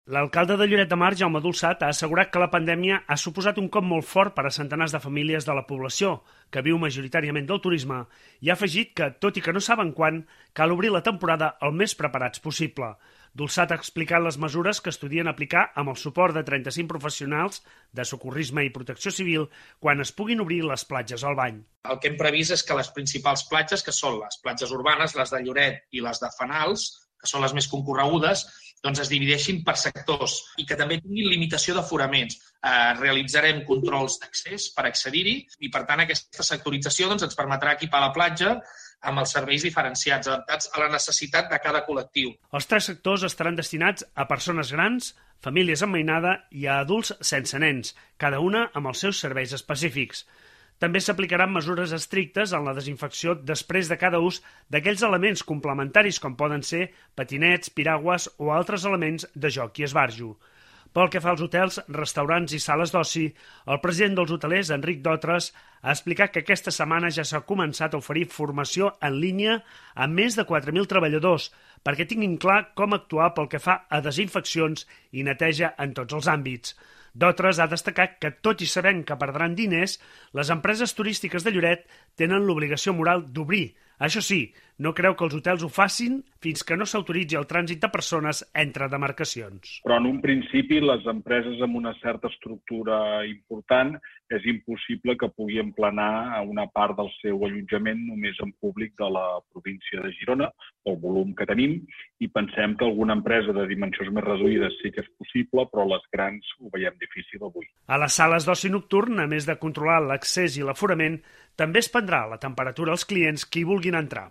L'alcalde de Lloret de Mar, Jaume Dolçat, ha assegurat que la pandèmia ha suposat un cop molt fort per a centenars de famílies de la població, que viu majoritàriament del turisme, i ha afegit que, tot i que no saben quan, cal obrir la temporada el més preparats possible. Dolçat ha explicat les mesures que estudien aplicar amb el suport de 35 professionals de socorrisme i protecció civil quan es puguin obrir les platges al bany. El que hem previst és que les principals platges, que són les platges urbanes, les de Lloret i les de Fenals, que són les més concorregudes, doncs es divideixin per sectors i que també tinguin limitació d'aforaments. Realitzarem controls d'accés per accedir-hi i, per tant, aquesta sectorització ens permetrà equipar la platja amb els serveis diferenciats, adaptats a la necessitat de cada col·lectiu. Els 3 sectors estaran destinats a persones grans, famílies amb mainada i a adults sense nens, cada una amb els seus serveis específics. També s'aplicaran mesures estrictes en la desinfecció després de cada ús d'aquells elements complementaris com poden ser patinets, piragües o altres elements de joc i esbarjo. Pel que fa als hotels, restaurants i sales d'oci, el president dels hotelers, Enric Dotres, ha explicat que aquesta setmana ja s'ha començat a oferir formació en línia a més de 4.000 treballadors perquè tinguin clar com actuar pel que fa a desinfeccions i neteja en tots els àmbits. Dotres ha destacat que, tot i sabent que perdran diners, les empreses turístiques de Lloret tenen l'obligació moral d'obrir. Això sí, no creu que els hotels ho facin fins que no s'autoritzi el trànsit de persones entre demarcacions. Però en un principi les empreses amb una certa estructura important és impossible que pugui emplenar una part del seu allotjament només en públic de la província de Girona, pel volum que tenim, i pensem que alguna empresa de dimensions més reduïdes sí que és possible, però les grans ho veiem difícil avui. A les sales d'oci nocturn, a més de controlar l'accés i l'aforament, també es prendrà la temperatura als clients que hi vulguin entrar.